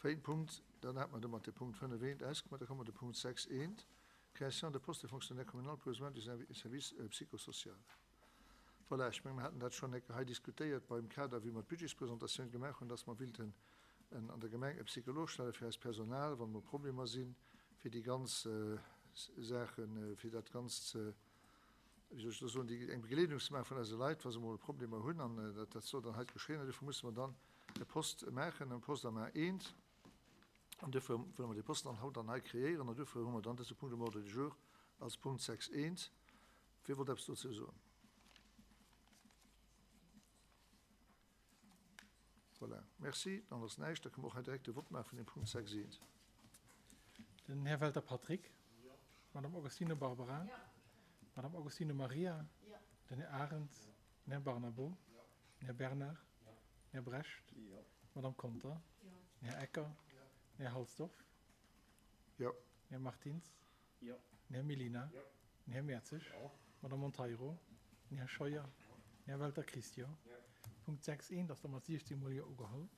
Véierten Punkt, dann hat mer domat de Punkt 5 eent ausgemaach. Da komme mer de Punkt 6 eent, Création de postes de fonctionnaire communal pour les besoins du service psychosocial. Voilà, ech mengen, mer haten dat schonn eng Kéier hei diskutéiert beim Kader, wéi mer d'Budgetspresentatioun gemaach hunn, dass mer willten an der Gemeng e Psycholog stelle fir eist Personal, wann emol Problemer sinn, fir déi ganz Saachen, fir dat Ganzt ze, wéi soll ech elo soen, déi, eng Begleedung ze maache vun eise Leit, wa se emol Problemer hunn. An dat, dat soll dann hei geschéien. An duerfir musse mer dann e Poste maachen, e Poste am A1. An duerfir wëlle mer dee Posten dann haut dann hei kreéieren. An duerfir hu mer dann dëse Punkt um Ordre du jour als Punkt 6.1. Wie wollt eppes dozou soen? Voilà, merci. Dann ass näischt. Da kënne mer och hei direkt de Vott maache vun dem Punkt 6 I. Den Här Welter Patrick. D'Madame Augustino Barbara. D'Madame Augustino Maria. Den Här Arendt. Den Här Barnabo. Den Här Bernard. Den Här Brecht. D'Madame Conter. Den Här Ecker. Den Här Halsdorf. Den Här Martins. Den Här Mellina. Den Här Mertzig. D'Madame Monteiro. Den Här Scheuer. Den Här Welter Christian. Punkt 6 I ass da mat 16 mol Jo ugeholl.